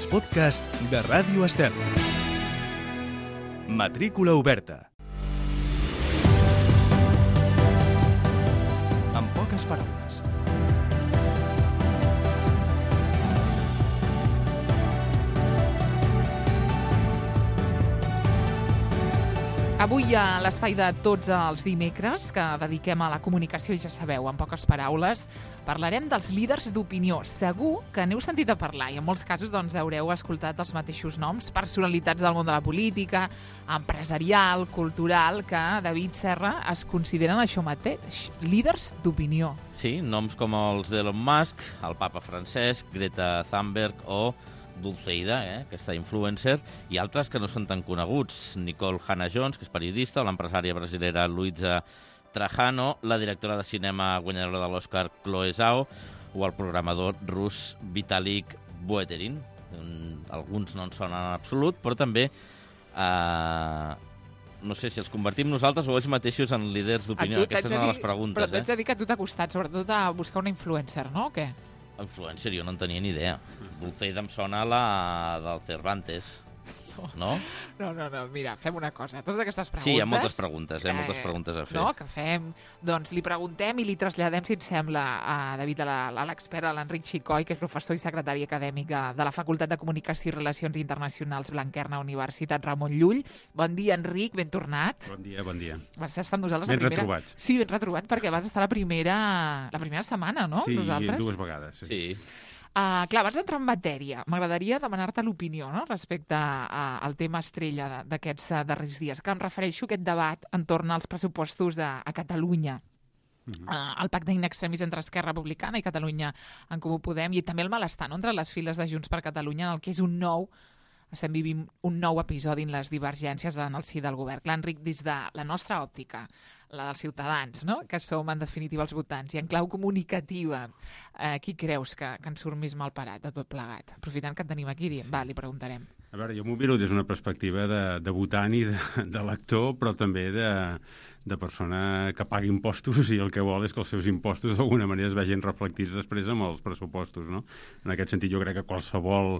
els podcasts de Ràdio Estel. Matrícula oberta. En poques paraules. Avui a l'espai de tots els dimecres que dediquem a la comunicació, ja sabeu, en poques paraules, parlarem dels líders d'opinió. Segur que n'heu sentit a parlar i en molts casos doncs, haureu escoltat els mateixos noms, personalitats del món de la política, empresarial, cultural, que David Serra es consideren això mateix, líders d'opinió. Sí, noms com els d'Elon Musk, el papa Francesc, Greta Thunberg o Dulceida, aquesta influencer, i altres que no són tan coneguts. Nicole Hannah-Jones, que és periodista, o l'empresària brasilera Luisa Trajano, la directora de cinema guanyadora de l'Oscar Chloe Zhao, o el programador rus Vitalik Buterin. Alguns no en sonen en absolut, però també no sé si els convertim nosaltres o ells mateixos en líders d'opinió. Aquesta és una de les preguntes. Però t'haig de dir que a tu t'ha costat, sobretot, a buscar una influencer, no? O què? Influencer, jo no en tenia ni idea. Dulceida em sona la del Cervantes, no? No, mira, fem una cosa. Totes aquestes preguntes... Sí, hi ha moltes preguntes, moltes preguntes a fer. No, que fem... Doncs li preguntem i li traslladem, si et sembla, a David, a l'expert, a l'Enric Xicoi, que és professor i secretari acadèmic de la Facultat de Comunicació i Relacions Internacionals Blanquerna, Universitat Ramon Llull. Bon dia, Enric, ben tornat. Bon dia, bon dia. Vas estar amb nosaltres ben retrobat. Sí, ben retrobat, perquè vas estar la primera setmana, no? Sí, nosaltres. 2 vegades. Sí. Clar, abans d'entrar en matèria, m'agradaria demanar-te l'opinió, no?, respecte al tema estrella d'aquests darrers dies, que em refereixo a aquest debat entorn als pressupostos a Catalunya. El pacte in extremis entre Esquerra Republicana i Catalunya en Comú Podem, i també el malestar, no?, entre les files de Junts per Catalunya, en el que és estem vivint un nou episodi en les divergències en el si del govern. Clar, Enric, des de la nostra òptica, la dels ciutadans, no?, que som en definitiva els votants, i en clau comunicativa, qui creus que en surt més mal parat de tot plegat? Aprofitant que et tenim aquí, li preguntarem. A veure, jo m'ho miro des d'una perspectiva de votant i de lector, però també de persona que paga impostos i el que vol és que els seus impostos d'alguna manera es vegin reflectits després amb els pressupostos, no? En aquest sentit, jo crec que qualsevol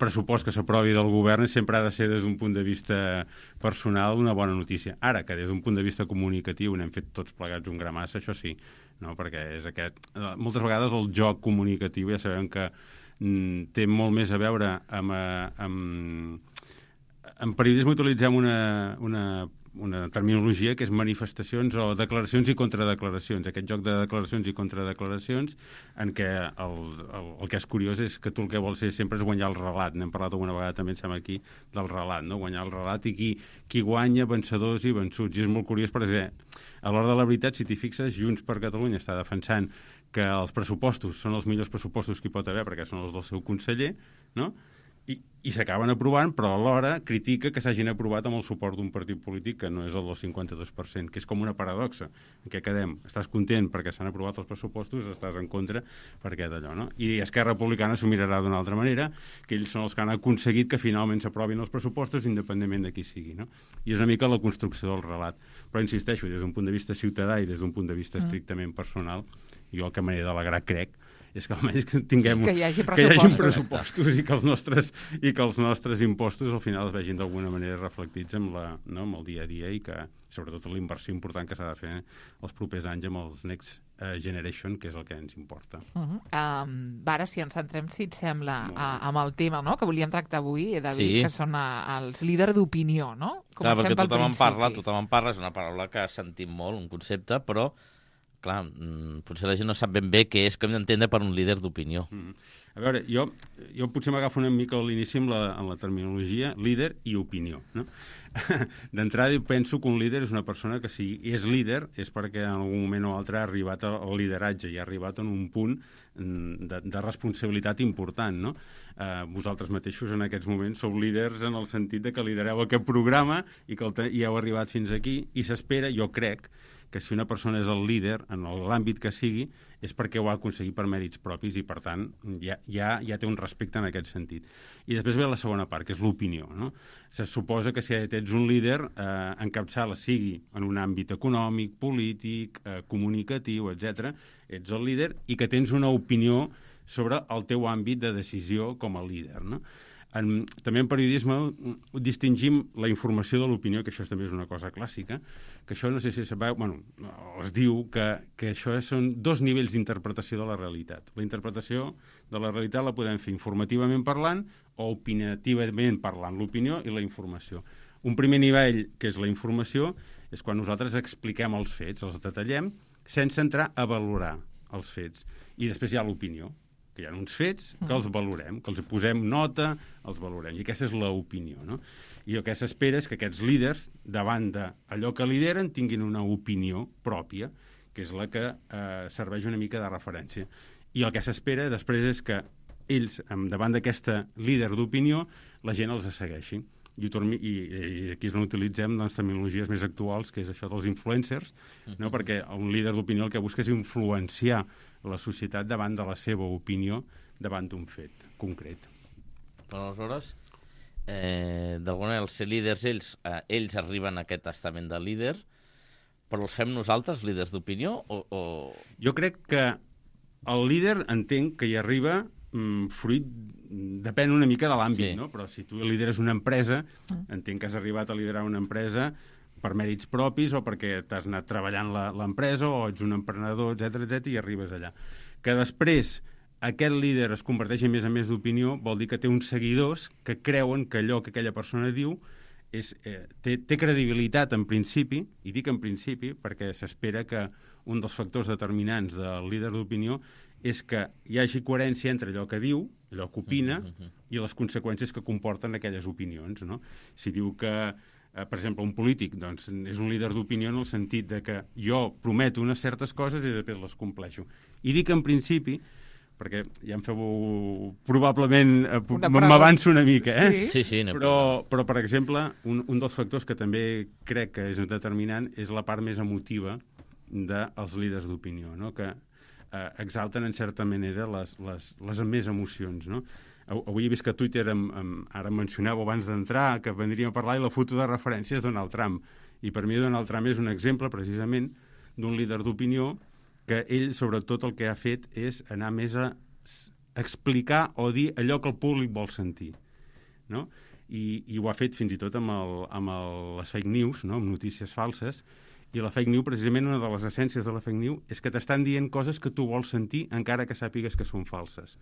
pressupost que s'aprovi del govern sempre ha de ser des d'un punt de vista personal una bona notícia. Ara, que des d'un punt de vista comunicatiu n'hem fet tots plegats un gra massa, això sí, no? Perquè és aquest... Moltes vegades el joc comunicatiu ja sabem que té molt més a veure amb periodisme utilitzem una terminologia que és manifestacions o declaracions i contradeclaracions. Aquest joc de declaracions i contradeclaracions en què el que és curiós és que tu el que vols ser sempre és guanyar el relat. N'hem parlat alguna vegada també, em sembla aquí, del relat, no? Guanyar el relat i qui guanya, vencedors i vençuts. I és molt curiós perquè a l'hora de la veritat, si t'hi fixes, Junts per Catalunya està defensant que els pressupostos són els millors pressupostos que hi pot haver perquè són els del seu conseller, no? I s'acaben aprovant, però alhora critica que s'hagin aprovat amb el suport d'un partit polític que no és el del 52%, que és com una paradoxa. En què quedem? Estàs content perquè s'han aprovat els pressupostos, estàs en contra perquè d'allò, no? I Esquerra Republicana s'ho mirarà d'una altra manera, que ells són els que han aconseguit que finalment s'aprovin els pressupostos independentment de qui sigui, no? I és una mica la construcció del relat. Però insisteixo, des d'un punt de vista ciutadà i des d'un punt de vista estrictament personal, jo el que m'he d'alegrar, crec, és que almenys tinguem que hi hagi pressupostos i que els nostres impostos al final es vegin d'alguna manera reflectits amb el dia a dia i que sobretot la inversió important que s'ha de fer els propers anys amb els Next Generation, que és el que ens importa. Ara, si ens centrem, si et sembla, amb el tema, no?, que volíem tractar avui, David, que són els líders d'opinió, no? Clar, perquè tothom en parla, és una paraula que sentim molt, un concepte, però clar, potser la gent no sap ben bé què és que hem d'entendre per un líder d'opinió. A veure, jo potser m'agafo una mica a l'inici en la terminologia líder i opinió, no? D'entrada penso que un líder és una persona que si és líder és perquè en algun moment o altre ha arribat al lideratge i ha arribat en un punt de responsabilitat important, no? Vosaltres mateixos en aquests moments sou líders en el sentit de que lidereu aquest programa i que hi heu arribat fins aquí i s'espera, jo crec, que si una persona és el líder en l'àmbit que sigui és perquè ho ha aconseguit per mèrits propis i, per tant, ja té un respecte en aquest sentit. I després ve la segona part, que és l'opinió, no? Se suposa que si ets un líder, encapçala, sigui en un àmbit econòmic, polític, comunicatiu, etc., ets el líder i que tens una opinió sobre el teu àmbit de decisió com a líder, no? També en periodisme distingim la informació de l'opinió, que això també és una cosa clàssica, que això no sé si sabeu, es diu que això són dos nivells d'interpretació de la realitat. La interpretació de la realitat la podem fer informativament parlant o opinativament parlant, l'opinió i la informació. Un primer nivell, que és la informació, és quan nosaltres expliquem els fets, els detallem, sense entrar a valorar els fets. I després hi ha l'opinió, que hi ha uns fets que els valorem, que els posem nota, els valorem. I aquesta és l'opinió, no? I el que s'espera és que aquests líders, davant d'allò que lideren, tinguin una opinió pròpia, que és la que serveix una mica de referència. I el que s'espera després és que ells, davant d'aquesta líder d'opinió, la gent els segueixi. I aquí és on utilitzem les terminologies més actuals, que és això dels influencers, no? Perquè un líder d'opinió el que busca és influenciar la societat davant de la seva opinió davant d'un fet concret. Però aleshores, d'alguna manera, els ser líders, ells arriben a aquest estament de líder, però els fem nosaltres, líders d'opinió? Jo crec que el líder entenc que hi arriba fruit, depèn una mica de l'àmbit, no? Però si tu lideres una empresa, entenc que has arribat a liderar una empresa per mèrits propis o perquè t'has anat treballant l'empresa o ets un emprenedor, etc i arribes allà. Que després aquest líder es converteix en més d'opinió vol dir que té uns seguidors que creuen que allò que aquella persona diu té credibilitat en principi, i dic en principi perquè s'espera que un dels factors determinants del líder d'opinió és que hi hagi coherència entre allò que diu, allò que opina, i les conseqüències que comporten aquelles opinions, no? Si diu que, per exemple, un polític doncs, és un líder d'opinió en el sentit de que jo prometo unes certes coses i després les compleixo. I dic en principi, perquè ja em feu probablement... m'avanço una mica, Sí, però, per exemple, un dels factors que també crec que és determinant és la part més emotiva dels líders d'opinió, no? Que exalten en certa manera les més emocions, no? Avui he vist que a Twitter ara mencioneu abans d'entrar que vendríem a parlar i la foto de referència és Donald Trump, i per mi Donald Trump és un exemple precisament d'un líder d'opinió que ell sobretot el que ha fet és anar més a explicar o dir allò que el públic vol sentir, no? I ho ha fet fins i tot amb les fake news, no? Amb notícies falses. I la fake news, precisament, una de les essències de la fake news és que t'estan dient coses que tu vols sentir encara que sàpigues que són falses,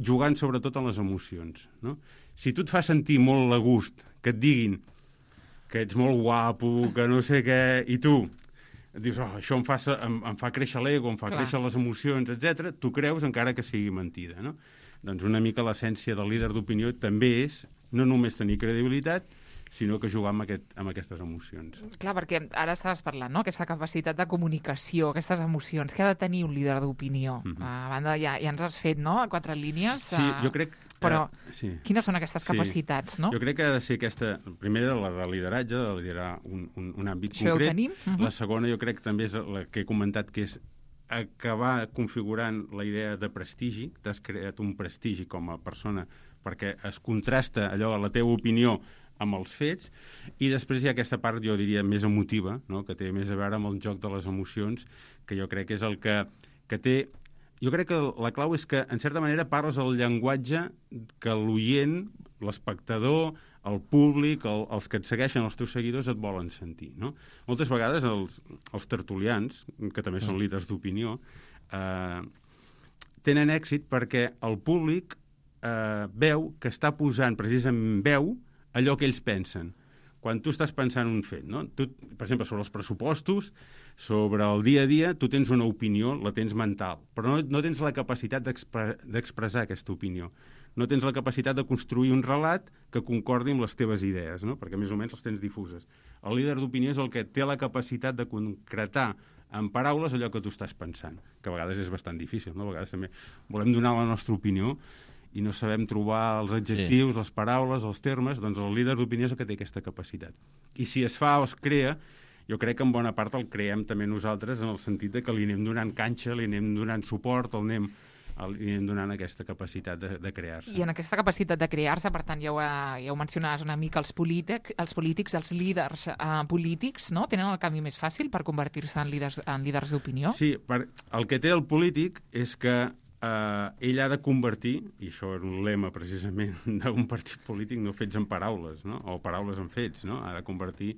jugant sobretot en les emocions, no? Si tu et fa sentir molt a gust que et diguin que ets molt guapo, que no sé què, i tu dius, això em fa créixer l'ego, em fa créixer les emocions, etc. Tu creus encara que sigui mentida, no? Doncs una mica l'essència del líder d'opinió també és no només tenir credibilitat, sinó que jugar amb aquestes emocions. Clar, perquè ara estaves parlant, no?, aquesta capacitat de comunicació, aquestes emocions, que ha de tenir un líder d'opinió. A banda, ja ens has fet, no?, a 4 línies. Sí, jo crec... Però quines són aquestes capacitats, no? Jo crec que ha de ser aquesta, primera, la de lideratge, de liderar un àmbit concret. Això ho tenim. La segona, jo crec que també és la que he comentat, que és acabar configurant la idea de prestigi. T'has creat un prestigi com a persona perquè es contrasta allò, la teva opinió, amb els fets, i després hi ha aquesta part, jo diria, més emotiva, no?, que té més a veure amb el joc de les emocions, que jo crec que és el que té... Jo crec que la clau és que, en certa manera, parles el llenguatge que l'oient, l'espectador, el públic, els que et segueixen, els teus seguidors, et volen sentir, no? Moltes vegades els tertulians, que també són líders d'opinió, tenen èxit perquè el públic veu que està posant precisament veu allò que ells pensen. Quan tu estàs pensant un fet, no? Tu, per exemple, sobre els pressupostos, sobre el dia a dia, tu tens una opinió, la tens mental, però no tens la capacitat d'expressar aquesta opinió. No tens la capacitat de construir un relat que concordi amb les teves idees, no? Perquè més o menys les tens difuses. El líder d'opinió és el que té la capacitat de concretar en paraules allò que tu estàs pensant, que a vegades és bastant difícil, no? A vegades també volem donar la nostra opinió i no sabem trobar els adjectius, les paraules, els termes, doncs el líder d'opinió és el que té aquesta capacitat. I si es fa o es crea, jo crec que en bona part el creem també nosaltres, en el sentit de que li anem donant canxa, li anem donant suport, li anem donant aquesta capacitat de crear-se. I en aquesta capacitat de crear-se, per tant, ja ho mencionaves una mica, els polítics, els líders polítics, no?, tenen el camí més fàcil per convertir-se en líders d'opinió? Sí, el que té el polític és que ell ha de convertir, i això és un lema precisament d'un partit polític, no fets en paraules, no? O paraules en fets, no? Ha de convertir,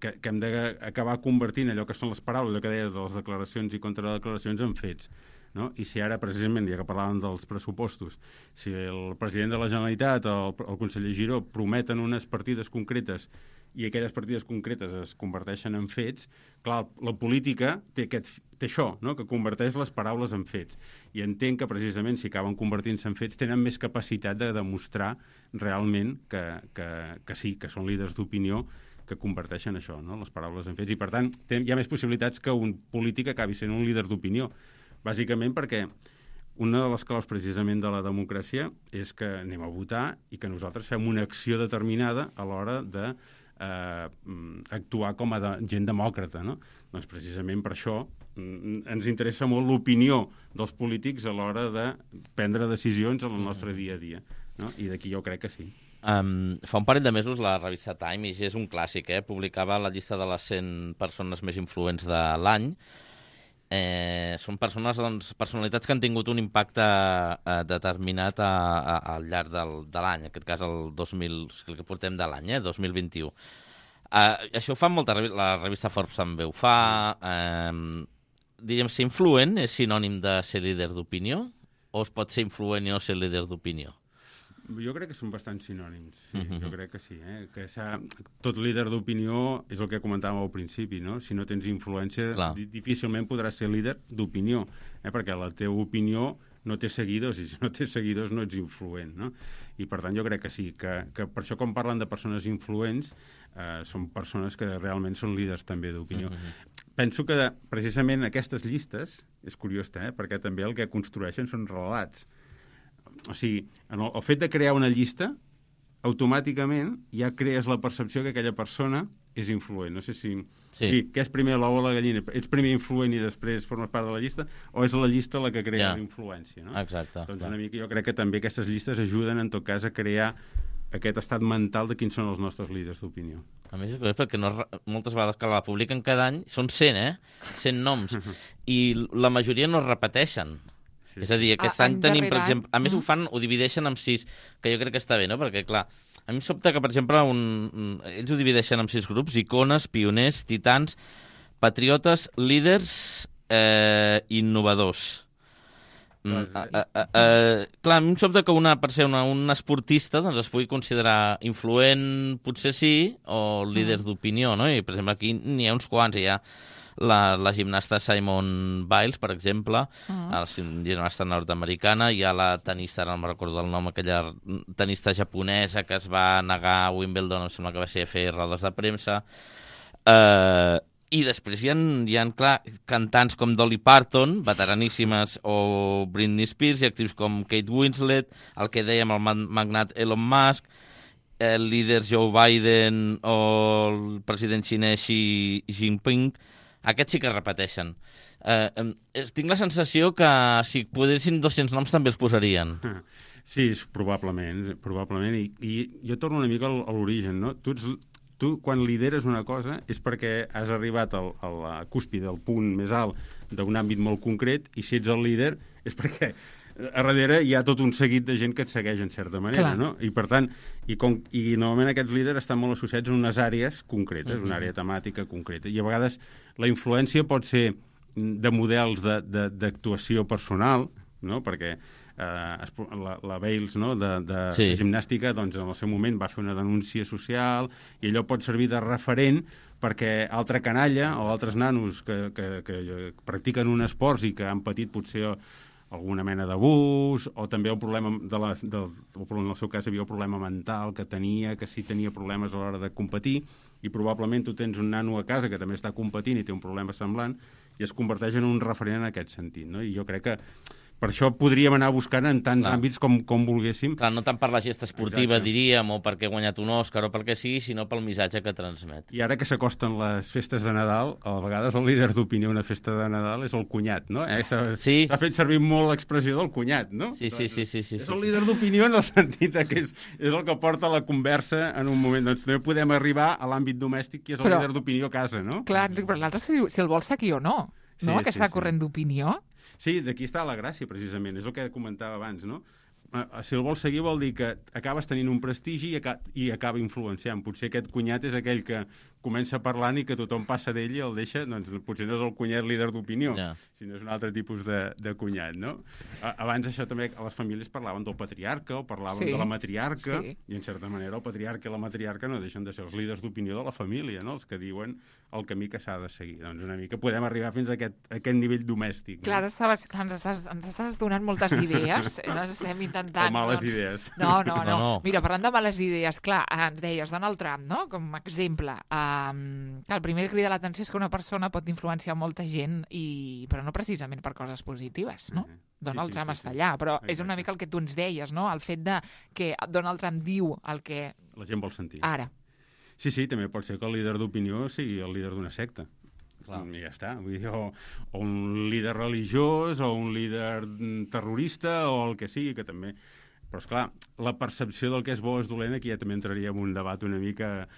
que hem d'acabar convertint allò que són les paraules, allò que deia de les declaracions i contradeclaracions en fets. No? I si ara, precisament, ja que parlàvem dels pressupostos, si el president de la Generalitat o el conseller Giró prometen unes partides concretes i aquelles partides concretes es converteixen en fets, clar, la política té això, no? Que converteix les paraules en fets. I entenc que, precisament, si acaben convertint-se en fets, tenen més capacitat de demostrar realment que sí, que són líders d'opinió que converteixen això, no? Les paraules en fets. I, per tant, hi ha més possibilitats que un polític acabi sent un líder d'opinió. Bàsicament perquè una de les claus precisament de la democràcia és que anem a votar i que nosaltres fem una acció determinada a l'hora de actuar com a gent demòcrata, no? Doncs precisament per això ens interessa molt l'opinió dels polítics a l'hora de prendre decisions en el nostre dia a dia, no? I d'aquí jo crec que sí. Fa un parell de mesos la revista Time, i és un clàssic, publicava la llista de les 100 persones més influents de l'any. Són personalitats que han tingut un impacte determinat al llarg de l'any, en aquest cas el que portem de l'any, 2021. Això ho fa la revista Forbes també ho fa. Diríem, ser influent és sinònim de ser líder d'opinió o es pot ser influent i no ser líder d'opinió? Jo crec que són bastant sinònims, sí, jo crec que sí. Que tot líder d'opinió és el que comentàvem al principi, no? Si no tens influència, difícilment podràs ser líder d'opinió, perquè la teva opinió no té seguidors, i si no té seguidors no ets influent, no? I per tant jo crec que sí, que per això quan parlen de persones influents són persones que realment són líders també d'opinió. Penso que precisament aquestes llistes, és curiós, perquè també el que construeixen són relats. O sigui, el fet de crear una llista, automàticament ja crees la percepció que aquella persona és influent. No sé si... Sí. Què és primer l'ou o la gallina? Ets primer influent i després formes part de la llista, o és la llista la que crea la influència, no? Exacte. Doncs una mica jo crec que també aquestes llistes ajuden, en tot cas, a crear aquest estat mental de quins són els nostres líders d'opinió. A més, és perquè moltes vegades que la publiquen cada any, són 100, 100 noms, i la majoria no es repeteixen. Sí. És a dir, aquest any tenim, per exemple... A més, ho divideixen en 6, que jo crec que està bé, no? Perquè, clar, a mi em sobta que, per exemple, ells ho divideixen en 6 grups: icones, pioners, titans, patriotes, líders, innovadors. Clar, a mi em sobta que per ser un esportista doncs es pugui considerar influent, potser sí, o líder d'opinió, no? I, per exemple, aquí n'hi ha uns quants, hi ha la gimnasta Simone Biles, per exemple, la gimnasta nord-americana, hi ha la tenista, no me'n recordo el nom, aquella tenista japonesa que es va negar a Wimbledon, em sembla que va ser a fer rodes de premsa, i després hi ha clar, cantants com Dolly Parton, veteraníssimes, o Britney Spears, i actius com Kate Winslet, el que dèiem, el magnat Elon Musk, el líder Joe Biden o el president xinès Xi Jinping. Aquests sí que es repeteixen. Tinc la sensació que si posessin 200 noms també els posarien. Sí, probablement. I jo torno una mica a l'origen, no? Tu, quan lideres una cosa, és perquè has arribat a la cúspide, al punt més alt d'un àmbit molt concret, i si ets el líder és perquè a darrere hi ha tot un seguit de gent que et segueix en certa manera, no? I per tant, i normalment aquests líders estan molt associats en unes àrees concretes, una àrea temàtica concreta, i a vegades la influència pot ser de models d'actuació personal, no? Perquè la Bales, no? de gimnàstica, doncs en el seu moment va fer una denúncia social, i allò pot servir de referent perquè altra canalla o altres nanos que practiquen un esport i que han patit potser alguna mena d'abús, o també el problema en el seu cas hi havia el problema mental que sí tenia problemes a l'hora de competir, i probablement tu tens un nano a casa que també està competint i té un problema semblant, i es converteix en un referent en aquest sentit, no? I jo crec que per això podríem anar buscant en tants àmbits com volguéssim. Clar, no tant per la gesta esportiva, diríem, o perquè ha guanyat un Òscar o perquè sigui, sinó pel missatge que transmet. I ara que s'acosten les festes de Nadal, a vegades el líder d'opinió una festa de Nadal és el cunyat, no? S'ha fet servir molt l'expressió del cunyat, no? Sí. És el líder d'opinió en el sentit que és el que porta la conversa en un moment. Doncs també podem arribar a l'àmbit domèstic, que és el líder d'opinió a casa, no? Clar, però l'altre si el vol seguir o no, no? Aquesta corrent d'opinió. Sí, d'aquí està la gràcia, precisament. És el que comentava abans, no? Si el vols seguir vol dir que acabes tenint un prestigi i acaba influenciant. Potser aquest cunyat és aquell que comença parlant i que tothom passa d'ell i el deixa, doncs potser no és el cunyat líder d'opinió, sinó és un altre tipus de cunyat, no? Abans això també, a les famílies parlaven del patriarca o parlaven de la matriarca, i en certa manera el patriarca i la matriarca no deixen de ser els líders d'opinió de la família, no? Els que diuen el camí que s'ha de seguir. Doncs una mica podem arribar fins a aquest nivell domèstic. Clar, ens estàs donant moltes idees, estem intentant... O males idees. No. Mira, parlant de males idees, clar, ens deies Donald Trump, no? Com a exemple. El primer que crida l'atenció és que una persona pot influenciar molta gent, però no precisament per coses positives, no? Donald Trump està allà, però és una mica el que tu ens deies, no? El fet de que Donald Trump diu el que... La gent vol sentir. Ara. Sí, també pot ser que el líder d'opinió sigui el líder d'una secta. Clar. I ja està. Vull dir, o un líder religiós, o un líder terrorista, o el que sigui, que també... Però, esclar, la percepció del que és bo o és dolent, aquí ja també entraria en un debat una mica,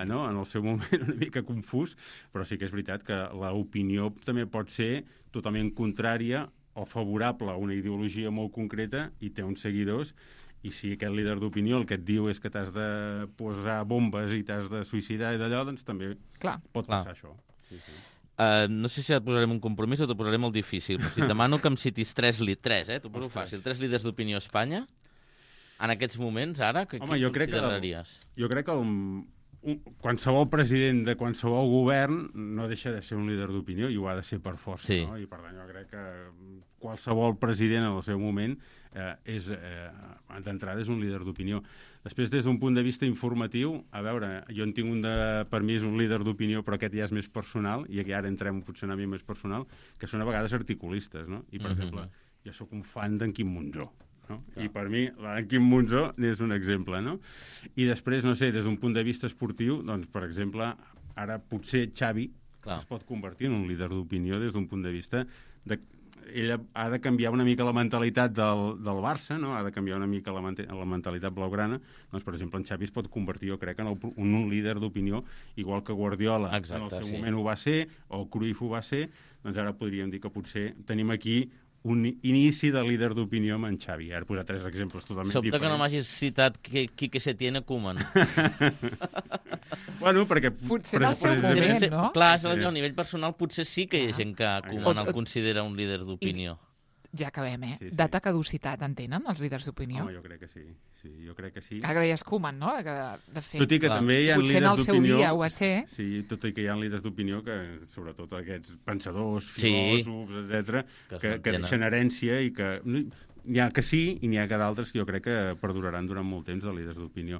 no? En el seu moment una mica confús, però sí que és veritat que l'opinió també pot ser totalment contrària o favorable a una ideologia molt concreta i té uns seguidors, i si aquest líder d'opinió el que et diu és que t'has de posar bombes i t'has de suïcidar i d'allò, doncs també pot passar això. Sí. No sé si et posarem un compromís o t'ho posaré molt difícil, però si et demano que em citis tres, t'ho poso fàcil, 3 líders d'opinió a Espanya, en aquests moments, ara, qui consideraries? Jo crec que qualsevol president de qualsevol govern no deixa de ser un líder d'opinió i ho ha de ser per força, no? I per tant jo crec que qualsevol president en el seu moment d'entrada és un líder d'opinió. Després, des d'un punt de vista informatiu, a veure, jo en tinc per mi és un líder d'opinió, però aquest ja és més personal, i aquí ara entrem en funcionament més personal, que són a vegades articulistes, no? I, per exemple, jo sóc un fan d'en Quim Monzó, no? I per mi, en Quim Monzó n'és un exemple, no? I després, no sé, des d'un punt de vista esportiu, doncs, per exemple, ara potser Xavi es pot convertir en un líder d'opinió des d'un punt de vista ell ha de canviar una mica la mentalitat del Barça, no? Ha de canviar una mica la mentalitat blaugrana. Doncs, per exemple, en Xavi es pot convertir, jo crec, en un líder d'opinió, igual que Guardiola en el seu moment ho va ser, o Cruyff ho va ser, doncs ara podríem dir que potser tenim aquí un inici de líder d'opinió amb en Xavi. Ara he posat 3 exemples totalment diferents. Sobte que no m'hagis citat Quique Setién a Koeman. Bueno, perquè... Potser en el seu moment, no? Clar, a nivell personal potser sí que hi ha gent que Koeman el considera un líder d'opinió. Ja acabem, eh? Data caducitat en tenen els líders d'opinió? Home, jo crec que sí. Jo crec que sí. Ara que deies Koeman, no? De fet, tot i que també hi ha líders d'opinió... Potser en el seu dia ho va ser. Sí, tot i que hi ha líders d'opinió que, sobretot aquests pensadors, filòsofs, etc., que deixen herència i que... N'hi ha que sí i n'hi ha que d'altres que jo crec que perduraran durant molt temps de líders d'opinió.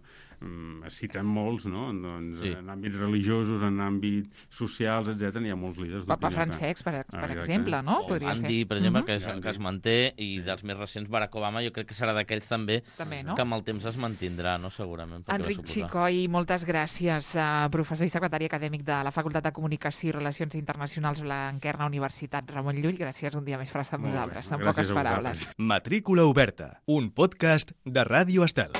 Es citen molts, no? Doncs, en àmbits religiosos, en àmbits socials, etc. n'hi ha molts líders d'opinió. Papa Francesc, per exemple, no? Gandhi, per exemple, que es manté, i dels més recents, Barack Obama, jo crec que serà d'aquells també no? que amb el temps es mantindrà, no? Segurament. Enric Xicoi, moltes gràcies, professor i secretari acadèmic de la Facultat de Comunicació i Relacions Internacionals Blanquerna, Universitat Ramon Llull. Gràcies un dia més per estar amb nosaltres. En poques paraules. Matrícula oberta, un podcast de Ràdio Estel.